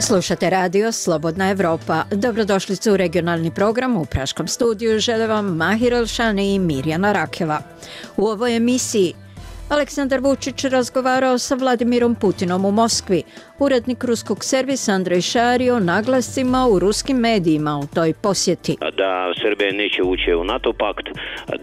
Slušate radio Slobodna Evropa. Dobrodošli u regionalni program. U praškom studiju žele vam Mahir Elšani i Mirjana Rakeva. U ovoj emisiji Aleksandar Vučić razgovarao sa Vladimirom Putinom u Moskvi. Urednik ruskog servisa Andrej Šari o naglascima u ruskim medijima u toj posjeti. Da Srbija neće ući u NATO pakt,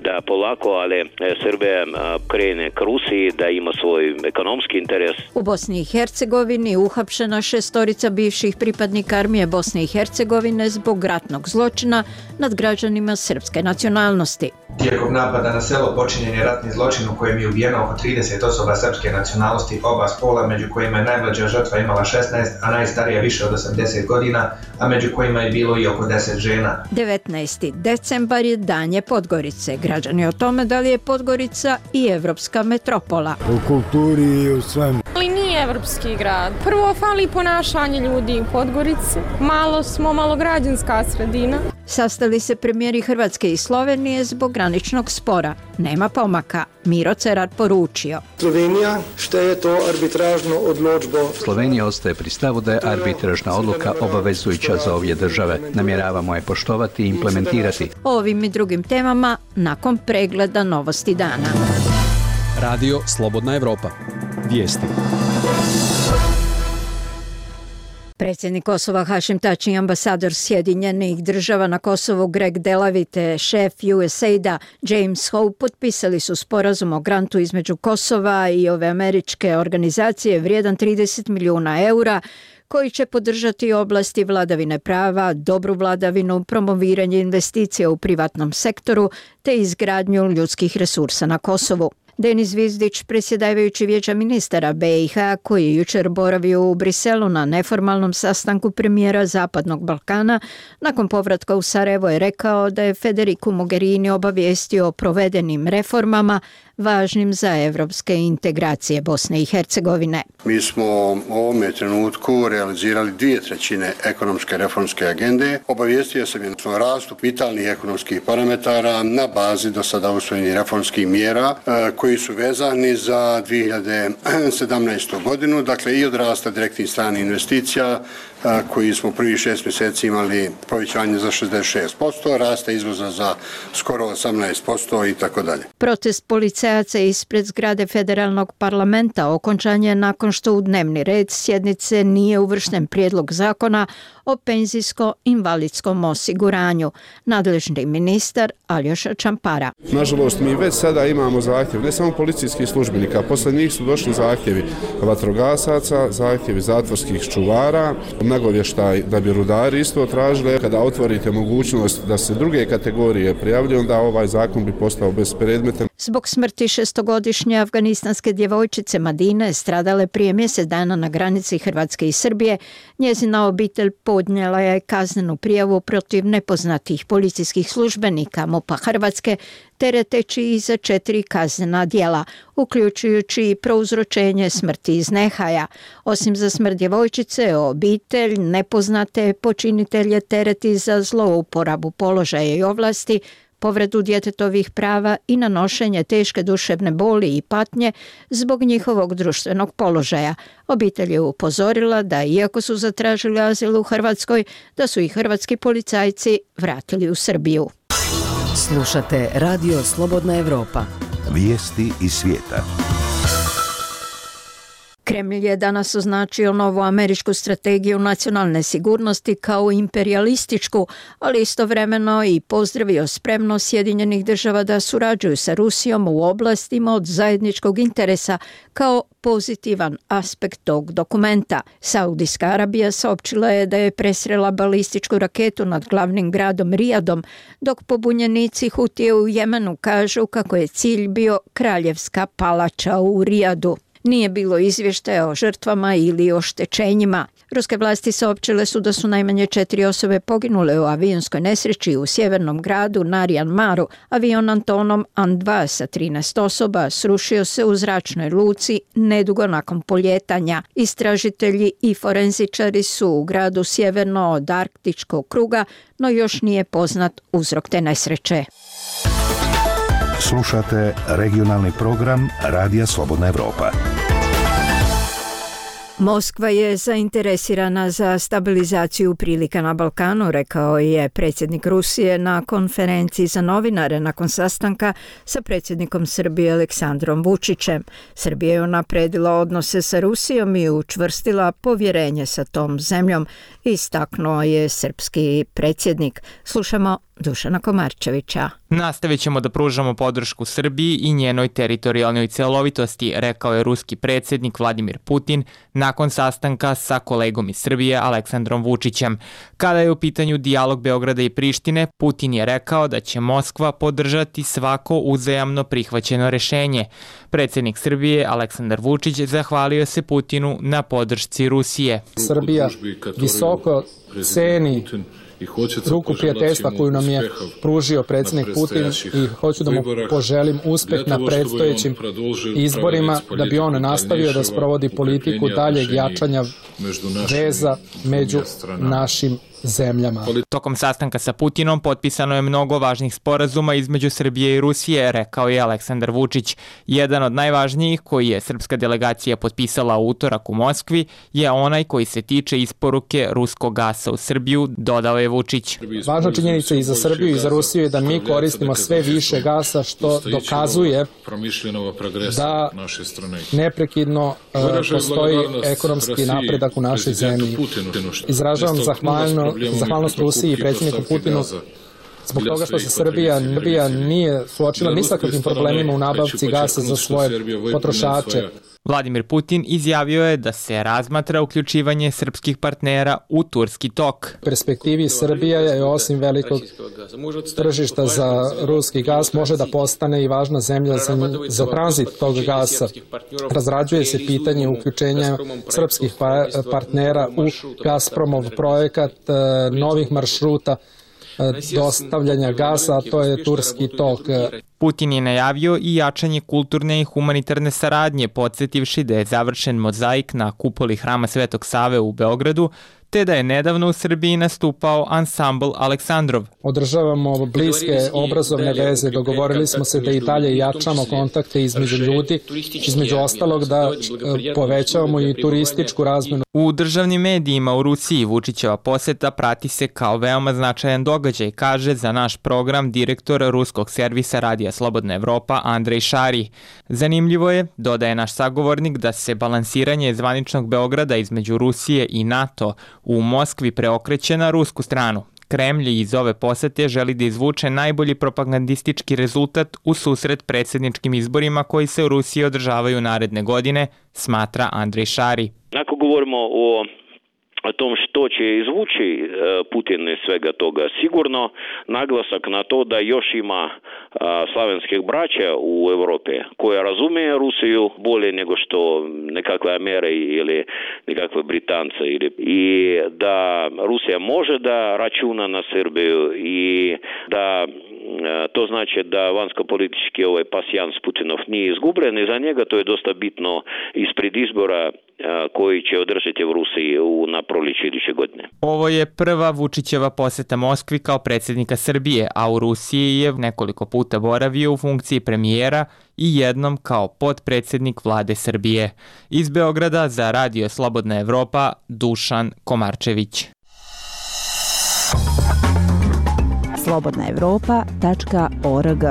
da polako, ali Srbija krene k Rusiji, da ima svoj ekonomski interes. U Bosni i Hercegovini uhapšena 6 bivših pripadnika armije Bosne i Hercegovine zbog ratnog zločina nad građanima srpske nacionalnosti. Tijekom napada na selo počinjen je ratni zločin u kojem je ubijeno oko 30 osoba srpske nacionalnosti oba spola, među kojima je najmlađa žrtva imala 16, a najstarija više od 80 godina, a među kojima je bilo i oko 10 žena. 19. decembar je Dan je Podgorice. Građani o tome da li je Podgorica i evropska metropola. U kulturi i u svemu. Ali nije evropski grad. Prvo fali ponašanje ljudi u Podgorici. Malo građanska sredina. Sastali se premijeri Hrvatske i Slovenije zbog graničnog spora. Nema pomaka. Miro Cerar poručio. Slovenija šteje to arbitražno odločbo. Slovenija ostaje pri stavu da je arbitražna odluka obavezujuća za obje države. Namjeravamo je poštovati i implementirati. O ovim i drugim temama nakon pregleda novosti dana. Radio Slobodna Evropa. Vijesti. Predsjednik Kosova Hašim Tači i ambasador Sjedinjenih država na Kosovu Greg Delavite, šef USAID-a James Hope potpisali su sporazum o grantu između Kosova i ove američke organizacije vrijedan 30 milijuna eura koji će podržati oblasti vladavine prava, dobru vladavinu, promoviranje investicija u privatnom sektoru te izgradnju ljudskih resursa na Kosovu. Denis Vizdić, predsjedavajući Vijeća ministara BiH, koji je jučer boravio u Briselu na neformalnom sastanku premijera Zapadnog Balkana, nakon povratka u Sarajevo je rekao da je Federico Mogherini obavijestio o provedenim reformama važnim za evropske integracije Bosne i Hercegovine. Mi smo u ovome trenutku realizirali 2/3 ekonomske reformske agende. Obavijestio sam je o rastu vitalnih ekonomskih parametara na bazi do sada usvojenih reformskih mjera koji su vezani za 2017. godinu, dakle i od rasta direktnih stranih investicija koji smo prvih 6 mjeseci imali povećanje za 66%, rasta izvoza za skoro 18% i tako dalje. Protest policajaca ispred zgrade federalnog parlamenta okončan je nakon što u dnevni red sjednice nije uvršten prijedlog zakona o penzijsko-invalidskom osiguranju. Nadležni ministar Aljoša Čampara. Nažalost, mi već sada imamo zahtjev, ne samo policijskih službenika, posle njih su došli zahtjevi vatrogasaca, zahtjevi zatvorskih čuvara, nagovještaj da bi rudari isto tražili. Kada otvorite mogućnost da se druge kategorije prijavljuju, onda ovaj zakon bi postao bespredmetan. Zbog smrti 6-godišnje afganistanske djevojčice Madine, stradale prije mjesec dana na granici Hrvatske i Srbije, njezina obitelj podnijela je kaznenu prijavu protiv nepoznatih policijskih službenika MUP-a Hrvatske, tereteći i za 4 kaznena djela, uključujući i prouzročenje smrti iz nehaja. Osim za smrt djevojčice, obitelj nepoznate počinitelje tereti za zlouporabu položaja i ovlasti, povredu djetetovih prava i nanošenje teške duševne boli i patnje zbog njihovog društvenog položaja. Obitelj je upozorila da iako su zatražili azil u Hrvatskoj, da su i hrvatski policajci vratili u Srbiju. Slušate Radio Slobodna Evropa. Vijesti iz svijeta. Kremlj je danas označio novu američku strategiju nacionalne sigurnosti kao imperijalističku, ali istovremeno i pozdravio spremnost Sjedinjenih država da surađuju sa Rusijom u oblastima od zajedničkog interesa kao pozitivan aspekt tog dokumenta. Saudijska Arabija saopćila je da je presrela balističku raketu nad glavnim gradom Rijadom, dok pobunjenici Hutije u Jemenu kažu kako je cilj bio kraljevska palača u Rijadu. Nije bilo izvještaja o žrtvama ili oštećenjima. Ruske vlasti saopćile su da su najmanje 4 osobe poginule u avionskoj nesreći u sjevernom gradu Narian Maru. Avion Antonov An-2 sa 13 osoba srušio se u zračnoj luci nedugo nakon poljetanja. Istražitelji i forenzičari su u gradu sjeverno od Arktičkog kruga, no još nije poznat uzrok te nesreće. Slušate regionalni program Radija Slobodna Evropa. Moskva je zainteresirana za stabilizaciju prilika na Balkanu, rekao je predsjednik Rusije na konferenciji za novinare nakon sastanka sa predsjednikom Srbije Aleksandrom Vučićem. Srbija je unapredila odnose sa Rusijom i učvrstila povjerenje sa tom zemljom, istaknuo je srpski predsjednik. Slušamo Dušana Komarčevića. Nastavit ćemo da pružamo podršku Srbiji i njenoj teritorijalnoj celovitosti, rekao je ruski predsjednik Vladimir Putin nakon sastanka sa kolegom iz Srbije Aleksandrom Vučićem. Kada je u pitanju dijalog Beograda i Prištine, Putin je rekao da će Moskva podržati svako uzajamno prihvaćeno rešenje. Predsjednik Srbije Aleksandar Vučić zahvalio se Putinu na podršci Rusije. Srbija visoko ceni ruku prijateljstva koju nam je pružio predsjednik Putin i hoću da mu poželim uspeh na predstojećim izborima, da bi on nastavio da sprovodi politiku daljeg jačanja veza među našim zemljama. Tokom sastanka sa Putinom potpisano je mnogo važnih sporazuma između Srbije i Rusije, rekao je Aleksandar Vučić. Jedan od najvažnijih koji je srpska delegacija potpisala u utorak u Moskvi je onaj koji se tiče isporuke ruskog gasa u Srbiju, dodao je Vučić. Važna činjenica i za Srbiju i za Rusiju je da mi koristimo sve više gasa, što dokazuje da neprekidno postoji ekonomski napredak u našoj zemlji. Izražavam zahvalnost Rusiji i predsjedniku Putinu zbog toga što se Srbija nije suočila ni sa kakvim problemima u nabavci gasa za svoje potrošače. Vladimir Putin izjavio je da se razmatra uključivanje srpskih partnera u turski tok. U perspektivi Srbija je osim velikog tržišta za ruski gas može da postane i važna zemlja za tranzit tog gasa. Razrađuje se pitanje uključenja srpskih partnera u Gazpromov projekat novih maršruta dostavljanja gasa, a to je turski tok. Putin je najavio i jačanje kulturne i humanitarne saradnje, podsjetivši da je završen mozaik na kupoli Hrama Svetog Save u Beogradu, te da je nedavno u Srbiji nastupao ansambl Aleksandrov. Održavamo bliske obrazovne veze, dogovorili smo se da i dalje jačamo kontakte između ljudi, između ostalog da povećavamo i turističku razmenu. U državnim medijima u Rusiji Vučićeva poseta prati se kao veoma značajan događaj, kaže za naš program direktor ruskog servisa Radija Slobodna Evropa Andrej Šari. Zanimljivo je, dodaje naš sagovornik, da se balansiranje zvaničnog Beograda između Rusije i NATO u Moskvi preokreće na rusku stranu. Kremlj iz ove posete želi da izvuče najbolji propagandistički rezultat u susret predsjedničkim izborima koji se u Rusiji održavaju naredne godine, smatra Andrej Šari. Ako govorimo o tom što će izvući Putin iz svega toga, sigurno naglasak na to da još ima slavenskih braća u Europi koja razumije Rusiju bolje nego što nekakve Amere ili nekakve Britance i da Rusija može da računa na Srbiju i da to znači da vanjsko-politički pasijans Putinov nije izgubljen i za njega to je dosta bitno ispred izbora koji će održati u Rusiji na proljeće iduće godine. Ovo je prva Vučićeva poseta Moskvi kao predsjednika Srbije, a u Rusiji je nekoliko puta boravio u funkciji premijera i jednom kao potpredsjednik vlade Srbije. Iz Beograda za Radio Slobodna Evropa, Dušan Komarčević. slobodnaevropa.org.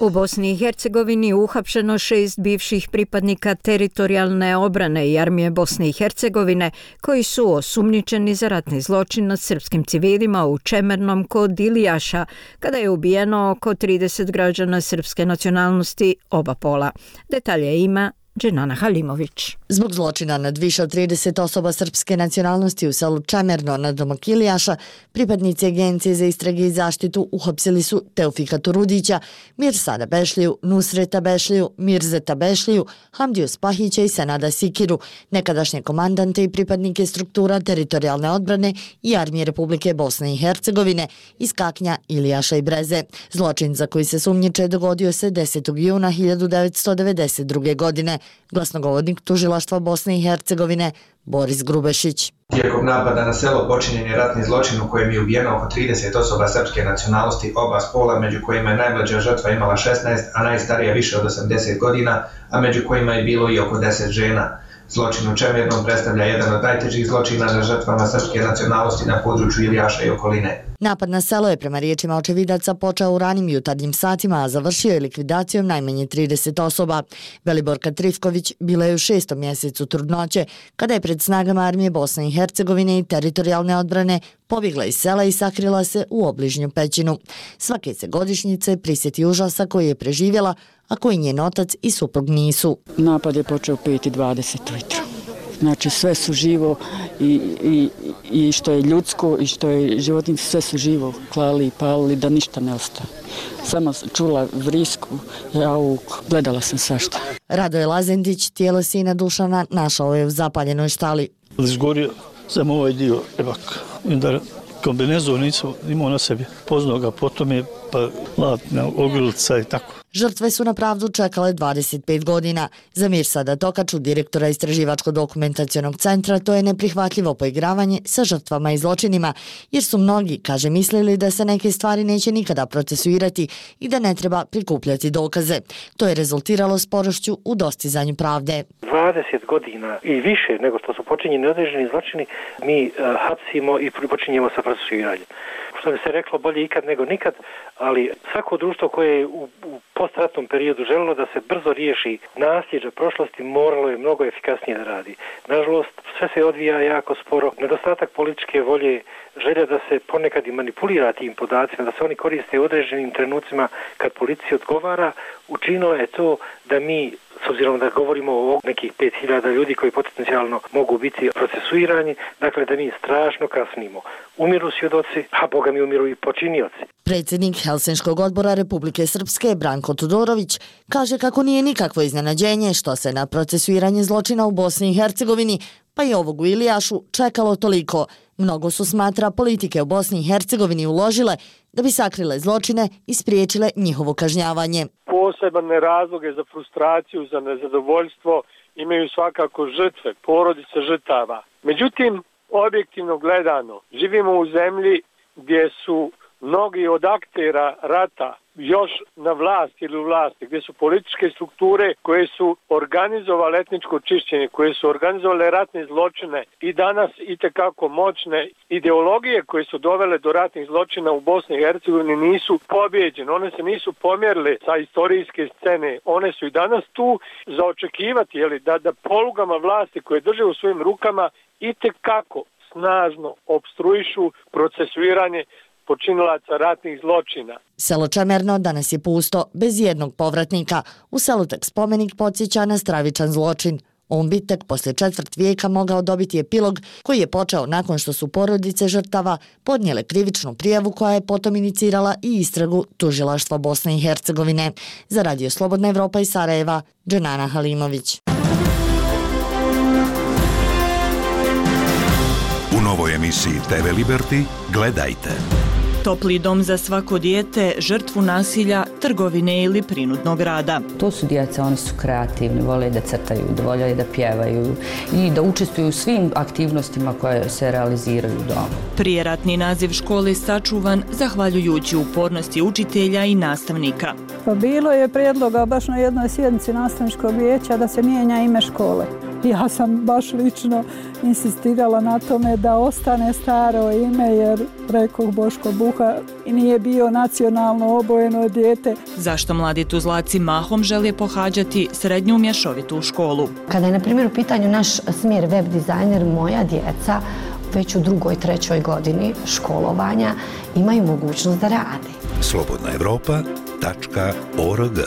U Bosni i Hercegovini uhapšeno 6 bivših pripadnika teritorijalne obrane i armije Bosne i Hercegovine koji su osumnjičeni za ratni zločin nad srpskim civilima u Čemernom kod Ilijaša, kada je ubijeno oko 30 građana srpske nacionalnosti oba pola. Detalje ima Dženana Halimović. Zbog zločina nad više od 30 osoba srpske nacionalnosti u selu Čemerno na domak Ilijaša, pripadnici Agencije za istrage i zaštitu uhapsili su Teofika Turudića, Mirsada Bešliju, Nusreta Bešliju, Mirzeta Bešliju, Hamdiju Spahića i Senada Sikiru, nekadašnje komandante i pripadnike struktura teritorijalne odbrane i armije Republike Bosne i Hercegovine iz Kaknja, Ilijaša i Breze. Zločin za koji se sumnjiče dogodio se 10. juna 1992. godine. Glasnogovornik tužilaštva Bosne i Hercegovine Boris Grubešić. Tijekom napada na selo počinjen je ratni zločin u kojem je ubijeno oko 30 osoba srpske nacionalnosti oba spola, među kojima je najmlađa žrtva imala 16, a najstarija više od 80 godina, a među kojima je bilo i oko 10 žena. Zločin u Čemernom predstavlja jedan od najtežih zločina na žrtvama srpske nacionalnosti na području Ilijaša i okoline. Napad na selo je prema riječima očevidaca počeo u ranim jutarnjim satima, a završio je likvidacijom najmanje 30 osoba. Veliborka Trifković bila je u 6. mjesecu trudnoće, kada je pred snagama armije Bosne i Hercegovine i teritorijalne odbrane pobjegla iz sela i sakrila se u obližnju pećinu. Svake se godišnjice prisjeti užasa koji je preživjela, a koji njen otac i suprug nisu. Napad je počeo 5:20 ujutro. Znači sve su živo i što je ljudsko i što je životinje, sve su živo klali i palili da ništa ne ostane. Samo čula vrisku, jauk, gledala sam svašta. Radoje Lazendić, tijelo sina Dušana, našao je u zapaljenoj štali. Izgorio sam ovaj dio ebak, da kombinezon nisam imao na sebi. Poznao ga, potom je pa latna ogrlica i tako. Žrtve su na pravdu čekale 25 godina. Za Mirsada Tokaču, direktora Istraživačko-dokumentacionog centra, to je neprihvatljivo poigravanje sa žrtvama i zločinima, jer su mnogi, kaže, mislili da se neke stvari neće nikada procesuirati i da ne treba prikupljati dokaze. To je rezultiralo sporošću u dostizanju pravde. 20 godina i više nego što su počinjeni određeni zločini, mi hapsimo i počinjemo sa procesuiranjem. Što bi se reklo, bolje ikad nego nikad, ali svako društvo koje je u postratnom periodu želilo da se brzo riješi nasljeđa prošlosti, moralo je mnogo efikasnije da radi. Nažalost, sve se odvija jako sporo. Nedostatak političke volje, želja da se ponekad i manipulira tim podacima, da se oni koriste u određenim trenucima kad policija odgovara, učinilo je to da mi, s obzirom da govorimo o nekih 5000 ljudi koji potencijalno mogu biti procesuirani, dakle da mi strašno kasnimo. Umiru svjedoci, a boga mi umiru i počinioci. Predsjednik Helsinškog odbora Republike Srpske Branko Tudorović kaže kako nije nikakvo iznenađenje što se na procesuiranje zločina u Bosni i Hercegovini, pa i ovog u Ilijašu, čekalo toliko. Mnogo su, smatra, politike u Bosni i Hercegovini uložile da bi sakrile zločine i spriječile njihovo kažnjavanje. Posebne razloge za frustraciju, za nezadovoljstvo imaju svakako žrtve, porodice žrtava. Međutim, objektivno gledano, živimo u zemlji gdje su mnogi od aktera rata još na vlasti ili u vlasti, gdje su političke strukture koje su organizovale etničko čišćenje, koje su organizovale ratne zločine i danas itekako moćne ideologije koje su dovele do ratnih zločina u Bosni i Hercegovini nisu pobjeđene, one se nisu pomjerile sa istorijske scene, one su i danas tu za očekivati da polugama vlasti koje drže u svojim rukama itekako snažno opstruišu procesuiranje počinilaca ratnih zločina. Selo Čemerno danas je pusto, bez jednog povratnika. U selu tek spomenik podsjeća na stravičan zločin. On bi tek poslije 1/4 vijeka mogao dobiti epilog koji je počeo nakon što su porodice žrtava podnijele krivičnu prijavu koja je potom inicirala i istragu tužilaštva Bosne i Hercegovine. Za Radio Slobodna Evropa iz Sarajeva, Dženana Halimović. U novoj emisiji TV Liberty gledajte. Topli dom za svako dijete, žrtvu nasilja, trgovine ili prinudnog rada. To su djeca, oni su kreativni, vole da crtaju, vole da pjevaju i da učestvuju u svim aktivnostima koje se realiziraju doma. Prijeratni naziv škole sačuvan zahvaljujući upornosti učitelja i nastavnika. Pa bilo je prijedloga baš na jednoj sjednici nastavničkog vijeća da se mijenja ime škole. Ja sam baš lično insistirala na tome da ostane staro ime jer rekoh Boško Buha i nije bio nacionalno obojeno dijete. Zašto mladi Tuzlaci mahom žele pohađati srednju mješovitu školu? Kada je na primjer u pitanju naš smjer web dizajner, moja djeca već u 2. i 3. godini školovanja imaju mogućnost da rade. slobodnaevropa.org.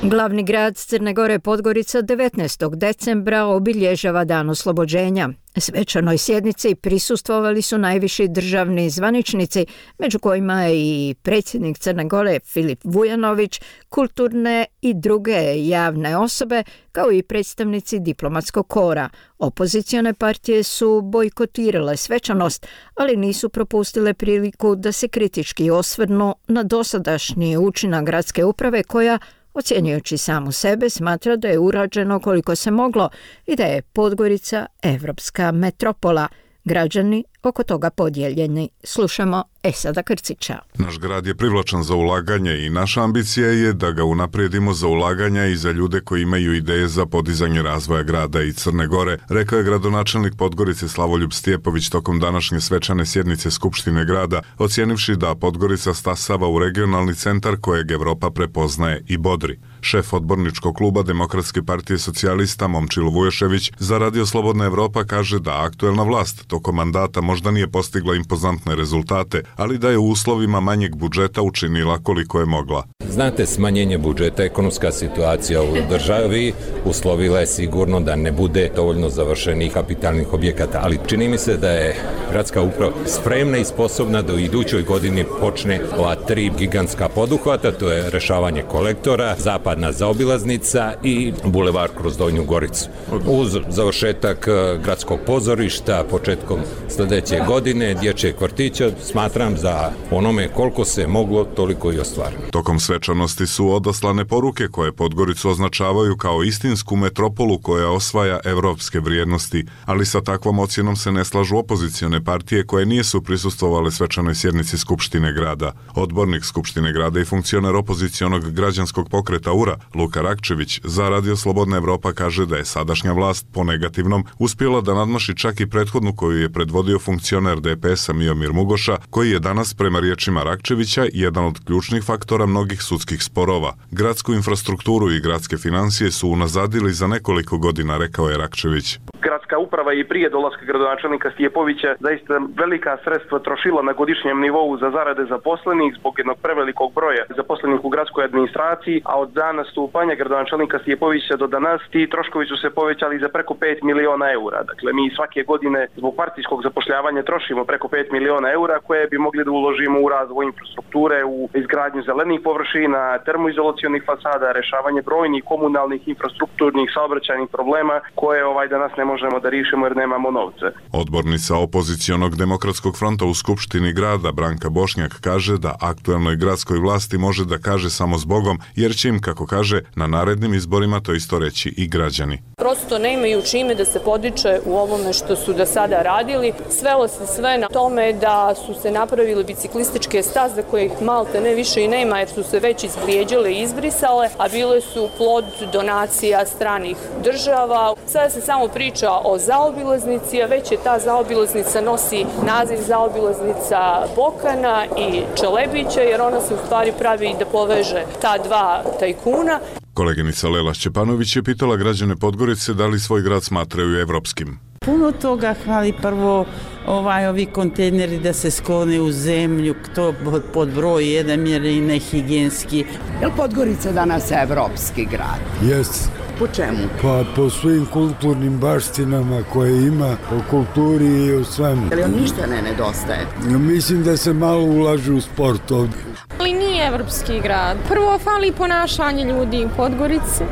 Glavni grad Crne Gore Podgorica 19. decembra obilježava Dan oslobođenja. Svečanoj sjednici prisustvovali su najviši državni zvaničnici, među kojima je i predsjednik Crne Gore Filip Vujanović, kulturne i druge javne osobe, kao i predstavnici diplomatskog kora. Opozicione partije su bojkotirale svečanost, ali nisu propustile priliku da se kritički osvrnu na dosadašnji učinak gradske uprave koja Ocjenjujući samu sebe, smatra da je urađeno koliko se moglo i da je Podgorica evropska metropola. Građani oko toga podijeljeni. Slušamo Esada Krcića. Naš grad je privlačan za ulaganje i naša ambicija je da ga unaprijedimo za ulaganja i za ljude koji imaju ideje za podizanje razvoja grada i Crne Gore, rekao je gradonačelnik Podgorice Slavoljub Stjepović tokom današnje svečane sjednice Skupštine grada, ocijenivši da Podgorica stasava u regionalni centar kojeg Evropa prepoznaje i bodri. Šef odborničkog kluba Demokratske partije socijalista Momčilo Vujošević za Radio Slobodna Evropa kaže da aktuelna vlast tokom mandata možda nije postigla impozantne rezultate, ali da je u uslovima manjeg budžeta učinila koliko je mogla. Znate, smanjenje budžeta, ekonomska situacija u državi uslovila je sigurno da ne bude dovoljno završenih kapitalnih objekata, ali čini mi se da je gradska uprava spremna i sposobna da u idućoj godini počne ova 3 gigantska poduhvata, to je rešavanje kolektora, zapadna zaobilaznica i bulevar kroz Donju Goricu. Uz završetak gradskog pozorišta početkom sljedeće godine, dječjeg vrtića, smatram za onome koliko se moglo, toliko i ostvareno. Tokom svečanosti su odaslane poruke koje Podgoricu označavaju kao istinsku metropolu koja osvaja evropske vrijednosti, ali sa takvom ocjenom se ne slažu opozicione partije koje nisu prisustvovale svečanoj sjednici Skupštine grada. Odbornik Skupštine grada i funkcioner opozicionog građanskog pokreta URA, Luka Rakčević, za Radio Slobodna Evropa kaže da je sadašnja vlast po negativnom uspjela da nadmaši čak i prethodnu koju je predvodio funkcioner DPS-a Miomir Mugoša, koji je danas prema riječima Rakčevića jedan od ključnih faktora mnogih sudskih sporova. Gradsku infrastrukturu i gradske financije su unazadili za nekoliko godina, rekao je Rakčević. Gradska uprava i prije dolaska gradonačelnika Stjepovića zaista velika sredstva trošila na godišnjem nivou za zarade zaposlenih zbog jednog prevelikog broja zaposlenih u gradskoj administraciji, a od dana stupanja gradonačelnika Stjepovića do danas ti troškovi su se povećali za preko 5 miliona eura. Dakle, mi svake godine zbog partijskog zapošljavanja trošimo preko 5 miliona eura koje bi mogli da uložimo u razvoj infrastrukture, u izgradnju zelenih površina, termoizolacionih fasada, rešavanje brojnih komunalnih, infrastrukturnih, saobraćajnih problema koje danas ne možemo da rišimo jer nemamo novce. Odbornica opozicionog Demokratskog fronta u Skupštini grada Branka Bošnjak kaže da aktuelnoj gradskoj vlasti može da kaže samo s Bogom, jer će im, kako kaže, na narednim izborima to isto reći i građani. Prosto ne imaju čime da se podiče u ovome što su do sada radili. Svelo se sve na tome da su se napravili biciklističke staze kojih malte ne više i nema jer su se već izvrijeđale i izbrisale, a bile su plod donacija stranih država. Sada se samo priča o zaobilaznici, a već je ta zaobilaznica nosi naziv zaobilaznica Bokana i Čelebića, jer ona se u stvari pravi da poveže ta dva tajkuna. Koleginica Lela Šćepanović je pitala građane Podgorice da li svoj grad smatraju evropskim. Puno toga hvali prvo ovi kontejneri da se sklone u zemlju, to pod broj 1 jer je nehigijenski. Je li Podgorica danas evropski grad? Jeste. Po čemu? Pa po svim kulturnim baštinama koje ima, po kulturi i o svemu. Je li on ništa ne nedostaje? Mislim da se malo ulaže u sport ovdje. Ali nije evropski grad. Prvo fali ponašanje ljudi u Podgorici.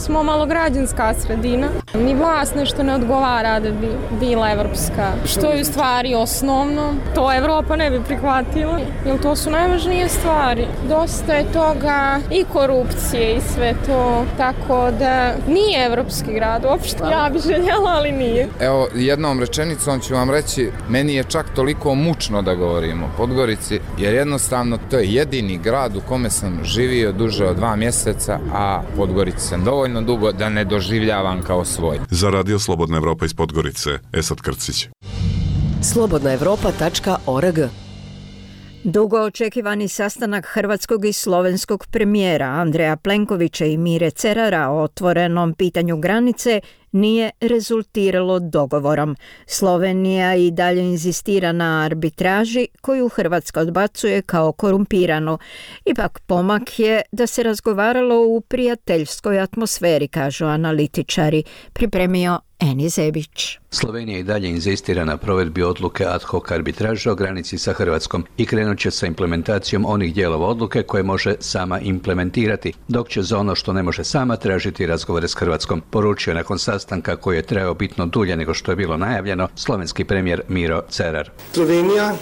Malo građanska sredina. Ni vlast nešto ne odgovara da bi bila evropska. Što je u stvari osnovno, to Evropa ne bi prihvatila, jer to su najvažnije stvari. Dosta je toga i korupcije i sve to, tako da nije evropski grad uopšte. Ja bi željela, ali nije. Evo, jednom rečenicom ću vam reći, meni je čak toliko mučno da govorim o Podgorici, jer jednostavno to je jedini grad u kome sam živio duže od 2 mjeseca, a Podgorica sam dovoljno dugo da ne doživljavam kao svoj. Za Radio Slobodna Evropa iz Podgorice, Esad Krcić. slobodnaevropa.org. Dugo očekivani sastanak hrvatskog i slovenskog premijera Andreja Plenkovića i Mire Cerara o otvorenom pitanju granice nije rezultiralo dogovorom. Slovenija i dalje inzistira na arbitraži koju Hrvatska odbacuje kao korumpiranu. Ipak pomak je da se razgovaralo u prijateljskoj atmosferi, kažu analitičari, pripremio Eni Zebić. Slovenija i dalje inzistira na provedbi odluke ad hoc arbitraže o granici sa Hrvatskom i krenut će sa implementacijom onih dijelova odluke koje može sama implementirati, dok će za ono što ne može sama tražiti razgovore s Hrvatskom, poručio nakon sastanka koji je trajao bitno dulje nego što je bilo najavljeno slovenski premijer Miro Cerar. Slovenija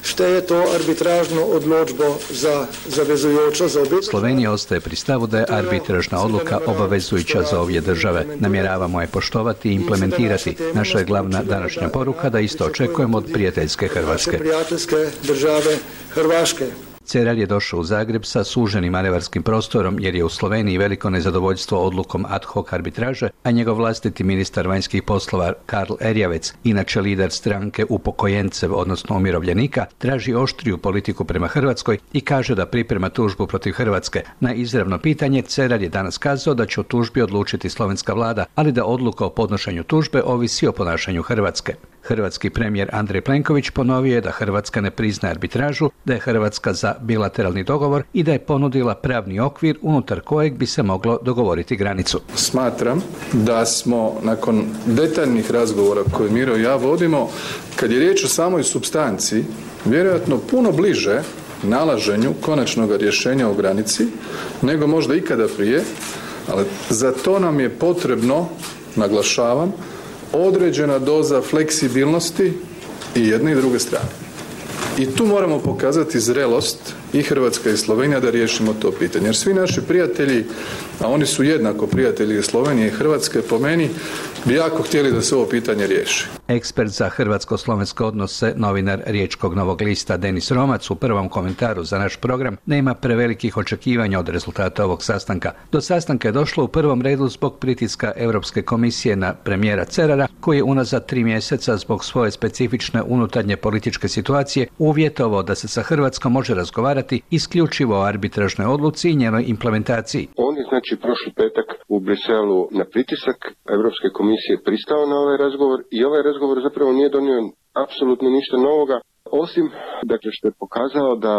što je to arbitražno odločbo za zavezujočo za obje. Slovenija ostaje pri stavu da je arbitražna odluka obavezujuća za obje države. Namjeravamo je poštovati i implementirati. Naša je glavna današnja poruka da isto očekujemo od prijateljske Hrvatske. Prijateljske države Hrvaške. Cerar je došao u Zagreb sa suženim manevarskim prostorom jer je u Sloveniji veliko nezadovoljstvo odlukom ad hoc arbitraže, a njegov vlastiti ministar vanjskih poslova Karl Erjavec, inače lider stranke upokojencev, odnosno umirovljenika, traži oštriju politiku prema Hrvatskoj i kaže da priprema tužbu protiv Hrvatske. Na izravno pitanje Cerar je danas kazao da će o tužbi odlučiti slovenska vlada, ali da odluka o podnošenju tužbe ovisi o ponašanju Hrvatske. Hrvatski premijer Andrej Plenković ponovio je da Hrvatska ne priznaje arbitražu, da je Hrvatska za bilateralni dogovor i da je ponudila pravni okvir unutar kojeg bi se moglo dogovoriti granicu. Smatram da smo nakon detaljnih razgovora koje Miro i ja vodimo, kad je riječ o samoj supstanciji, vjerojatno puno bliže nalaženju konačnog rješenja o granici nego možda ikada prije, ali za to nam je potrebno, naglašavam, određena doza fleksibilnosti i jedne i druge strane. I tu moramo pokazati zrelost i Hrvatska i Slovenija da riješimo to pitanje. Jer svi naši prijatelji, a oni su jednako prijatelji Slovenije i Hrvatske, po meni, bi jako htjeli da se ovo pitanje riješi. Ekspert za hrvatsko-slovenske odnose, novinar Riječkog Novog lista Denis Romac u prvom komentaru za naš program nema prevelikih očekivanja od rezultata ovog sastanka. Do sastanka je došlo u prvom redu zbog pritiska Europske komisije na premijera Cerara, koji je unazad 3 mjeseca zbog svoje specifične unutarnje političke situacije uvjetovao da se sa Hrvatskom može razgovarati isključivo o arbitražnoj odluci i njenoj implementaciji. On je prošli petak u Briselu na pritisak Europske komisije pristao na ovaj razgovor i ovaj razgovor zapravo nije donio apsolutno ništa novoga, osim što je pokazao da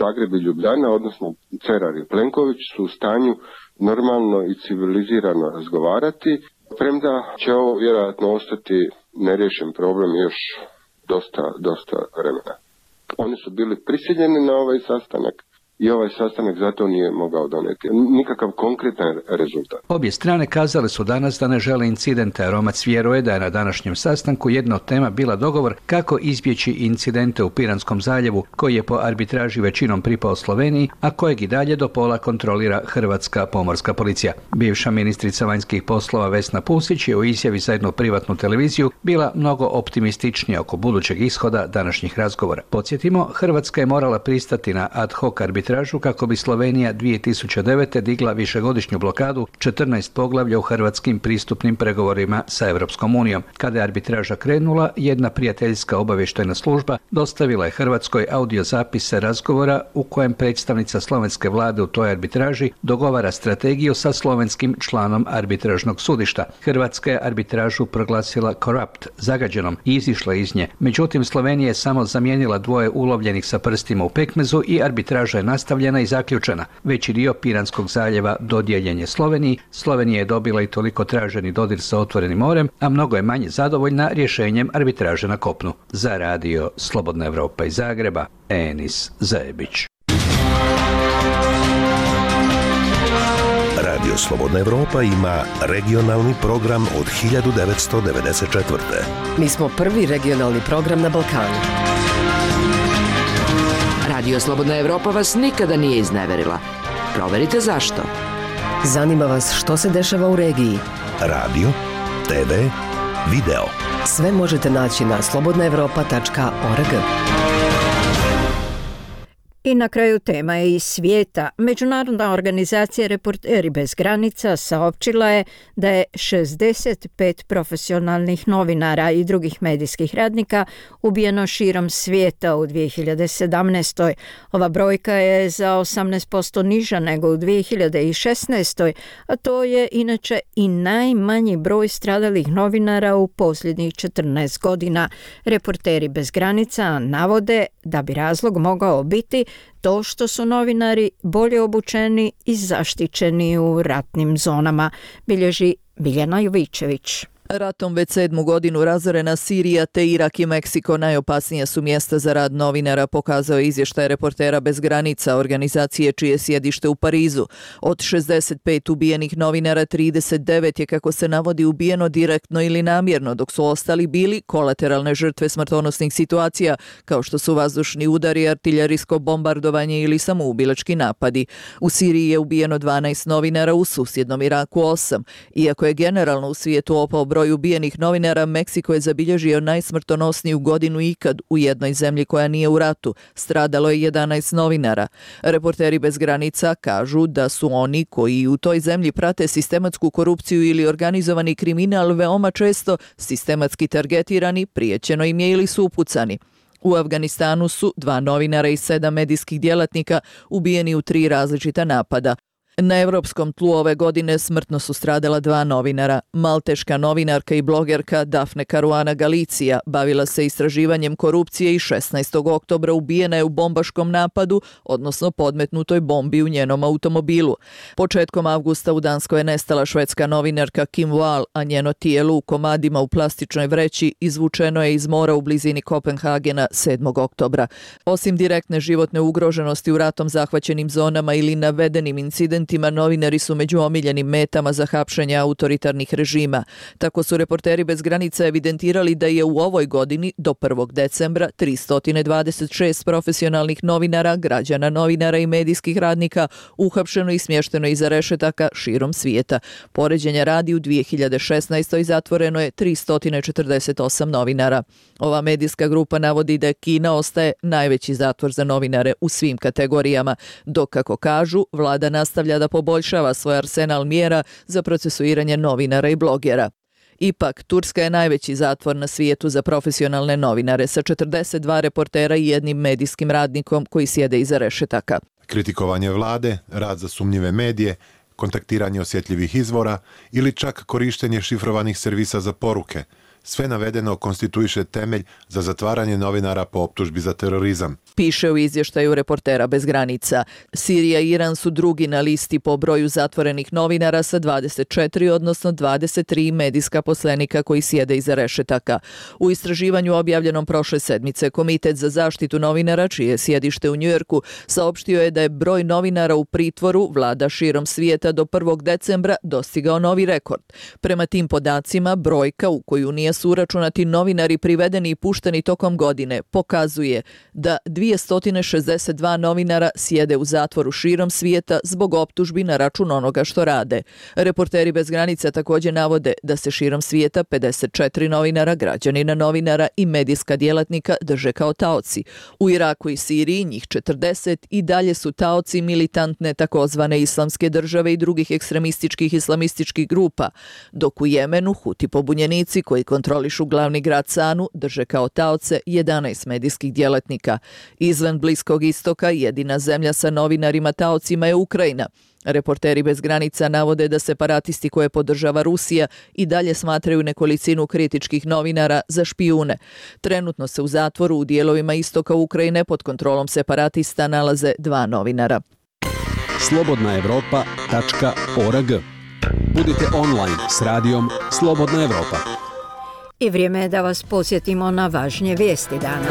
Zagreb i Ljubljana, odnosno Cerar i Plenković, su u stanju normalno i civilizirano razgovarati, premda će ovo vjerojatno ostati neriješen problem još dosta vremena. Oni su bili prisiljeni na ovaj sastanak i ovaj sastanak zato nije mogao donijeti nikakav konkretan rezultat. Obje strane kazale su danas da ne žele incidente, a Romac vjeruje da je na današnjem sastanku jedna od tema bila dogovor kako izbjeći incidente u Piranskom zaljevu, koji je po arbitraži većinom pripao Sloveniji, a kojeg i dalje do pola kontrolira Hrvatska pomorska policija. Bivša ministrica vanjskih poslova Vesna Pusić je u izjavi za jednu privatnu televiziju bila mnogo optimističnija oko budućeg ishoda današnjih razgovora. Podsjetimo, Hrvatska je morala pristati na ad hoc arbitražu kako bi Slovenija 2009. digla višegodišnju blokadu 14 poglavlja u hrvatskim pristupnim pregovorima sa Europskom unijom. Kada je arbitraža krenula, jedna prijateljska obavještajna služba dostavila je Hrvatskoj audiozapise razgovora u kojem predstavnica slovenske vlade u toj arbitraži dogovara strategiju sa slovenskim članom arbitražnog sudišta. Hrvatska je arbitražu proglasila corrupt, zagađenom, i izišla iz nje. Međutim, Slovenija je samo zamijenila dvoje ulovljenih sa prstima u pekmezu i arbitraža je nastavljena i zaključena. Veći dio Piranskog zaljeva dodijeljen je Sloveniji. Slovenija je dobila i toliko traženi dodir sa otvorenim morem, a mnogo je manje zadovoljna rješenjem arbitraže na kopnu. Za radio Slobodna Evropa iz Zagreba, Enis Zajebić. Radio Slobodna Evropa ima regionalni program od 1994. Mi smo prvi regionalni program na Balkanu. Radio Slobodna Evropa vas nikada nije izneverila. Proverite zašto. Zanima vas što se dešava u regiji. Radio, TV, video. Sve možete naći na slobodnaevropa.org. I na kraju tema je iz svijeta. Međunarodna organizacija Reporteri bez granica saopćila je da je 65 profesionalnih novinara i drugih medijskih radnika ubijeno širom svijeta u 2017. Ova brojka je za 18% niža nego u 2016. a to je inače i najmanji broj stradalih novinara u posljednjih 14 godina. Reporteri bez granica navode da bi razlog mogao biti to što su novinari bolje obučeni i zaštićeni u ratnim zonama, bilježi Biljana Jovićević. Ratom već 7. godinu razorena Sirija te Irak i Meksiko najopasnija su mjesta za rad novinara, pokazao je izvještaj Reportera bez granica, organizacije čije sjedište u Parizu. Od 65 ubijenih novinara, 39 je, kako se navodi, ubijeno direktno ili namjerno, dok su ostali bili kolateralne žrtve smrtonosnih situacija, kao što su vazdušni udari, artiljerijsko bombardovanje ili samoubilački napadi. U Siriji je ubijeno 12 novinara, u susjednom Iraku 8. Iako je generalno u svijetu opao broj ubijenih novinara, Meksiko je zabilježio najsmrtonosniju godinu ikad u jednoj zemlji koja nije u ratu. Stradalo je 11 novinara. Reporteri bez granica kažu da su oni koji u toj zemlji prate sistematsku korupciju ili organizovani kriminal veoma često sistematski targetirani, prijećeno im je ili su upucani. U Afganistanu su 2 novinara i 7 medijskih djelatnika ubijeni u 3 različita napada. Na evropskom tlu ove godine smrtno su stradala 2 novinara. Malteška novinarka i blogerka Dafne Caruana Galizia bavila se istraživanjem korupcije i 16. oktobra ubijena je u bombaškom napadu, odnosno podmetnutoj bombi u njenom automobilu. Početkom avgusta u Danskoj je nestala švedska novinarka Kim Wall, a njeno tijelo u komadima u plastičnoj vreći izvučeno je iz mora u blizini Kopenhagena 7. oktobra. Osim direktne životne ugroženosti u ratom zahvaćenim zonama ili navedenim incidentima, novinari su među omiljenim metama za hapšenje autoritarnih režima. Tako su Reporteri bez granica evidentirali da je u ovoj godini do 1. decembra 326 profesionalnih novinara, građana, novinara i medijskih radnika uhapšeno i smješteno iza rešetaka širom svijeta. Poređenja radi, u 2016. zatvoreno je 348 novinara. Ova medijska grupa navodi da Kina ostaje najveći zatvor za novinare u svim kategorijama, dok, kako kažu, vlada nastavlja da poboljšava svoj arsenal mjera za procesuiranje novinara i blogera. Ipak, Turska je najveći zatvor na svijetu za profesionalne novinare sa 42 reportera i 1 medijskim radnikom koji sjede iza rešetaka. Kritikovanje vlade, rad za sumnjive medije, kontaktiranje osjetljivih izvora ili čak korištenje šifrovanih servisa za poruke. Sve navedeno konstituiše temelj za zatvaranje novinara po optužbi za terorizam. Piše u izvještaju Reportera bez granica. Sirija i Iran su drugi na listi po broju zatvorenih novinara sa 24, odnosno 23 medijska poslenika koji sjede iza rešetaka. U istraživanju objavljenom prošle sedmice, Komitet za zaštitu novinara, čije je sjedište u Njujorku, saopštio je da je broj novinara u pritvoru vlada širom svijeta do 1. decembra dostigao novi rekord. Prema tim podacima, brojka u koju nije su uračunati novinari privedeni i pušteni tokom godine pokazuje da 262 novinara sjede u zatvoru širom svijeta zbog optužbi na račun onoga što rade. Reporteri bez granica također navode da se širom svijeta 54 novinara, građanina, novinara i medijska djelatnika drže kao taoci. U Iraku i Siriji njih 40 i dalje su taoci militantne takozvane islamske države i drugih ekstremističkih islamističkih grupa, dok u Jemenu Huti pobunjenici koji kontrolišu glavni grad Sanu drže kao taoce 11 medijskih djelatnika. Izvan Bliskog istoka jedina zemlja sa novinarima taocima je Ukrajina. Reporteri bez granica navode da separatisti koje podržava Rusija i dalje smatraju nekolicinu kritičkih novinara za špijune. Trenutno se u zatvoru u dijelovima istoka Ukrajine pod kontrolom separatista nalaze 2 novinara. slobodnaevropa.org. Budite online s radijom Slobodna Evropa. I vrijeme je da vas posjetimo na važnije vijesti dana.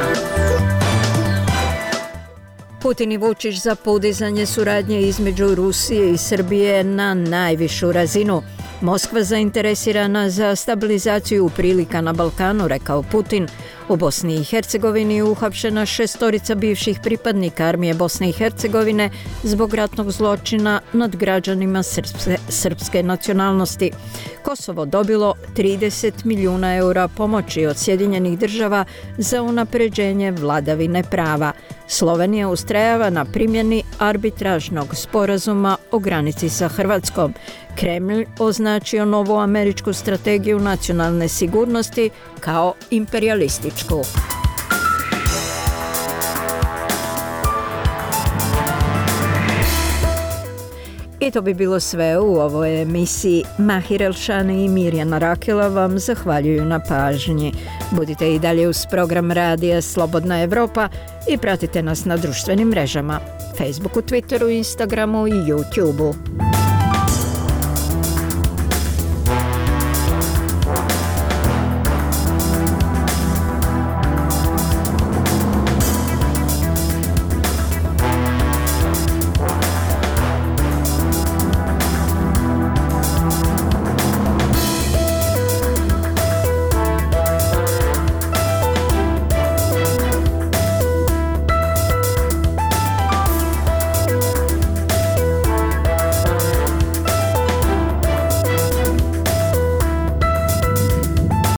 Putin i Vučić za podizanje suradnje između Rusije i Srbije na najvišu razinu. Moskva zainteresirana za stabilizaciju prilika na Balkanu, rekao Putin. U Bosni i Hercegovini uhapšena 6 bivših pripadnika armije Bosne i Hercegovine zbog ratnog zločina nad građanima srpske nacionalnosti. Kosovo dobilo 30 milijuna eura pomoći od Sjedinjenih država za unapređenje vladavine prava. Slovenija ustrajava na primjeni arbitražnog sporazuma o granici sa Hrvatskom. Kremlj označio novu američku strategiju nacionalne sigurnosti kao imperijalističku. I to bi bilo sve u ovoj emisiji. Mahir Elšani i Mirjana Rakela vam zahvaljuju na pažnji. Budite i dalje uz program radija Slobodna Evropa i pratite nas na društvenim mrežama, Facebooku, Twitteru, Instagramu i YouTubeu.